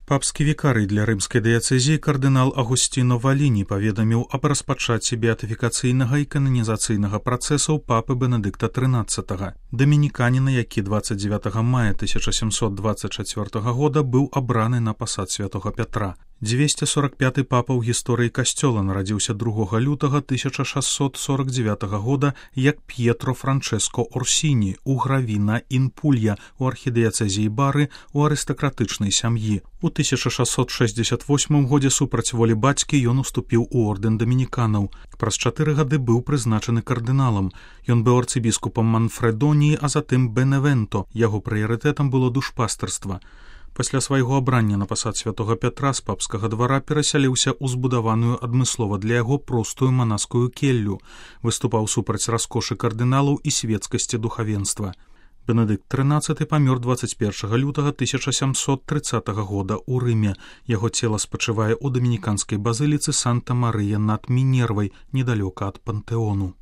Папскі вікарый для рымскай дыяцэзіі кардынал Агусціно Валіні паведаміў аб распачацці беатыфікацыйнага і кананізацыйнага працэсаў папы Бенедыкта XIII. Дамініканіна, які 29 мая 1724 года быў абраны на пасад святога Пятра. 245 папа ў гісторыі касцёла нарадзіўся 2 лютага 1649 года як П'етро Франческо Орсіні у Гравіна ін Пулья у архідыяцэзіі Бары у арыстакратычнай сям'і. У 1668 годзе супраць волі бацькі ён уступіў у ордэн дамініканаў. Праз 4 гады быў прызначаны кардыналам. Ён быў арцыбіскупам Манфрэдоніі, а затым Беневенто. Яго прыярытэтам было душпастарства. Пасля свайго абрання на пасад святога Пятра з папскага двара перасяліўся ў збудаваную адмыслова для яго простую манаскую келлю, выступаў супраць раскошы кардыналаў і светскасці духавенства. Бенедыкт XIII памёр 21 лютага 1730 года ў Рыме. Яго цела спачывае ў дамініканскай базыліцы Санта-Марыя над Мінервай, недалёка ад Пантэону.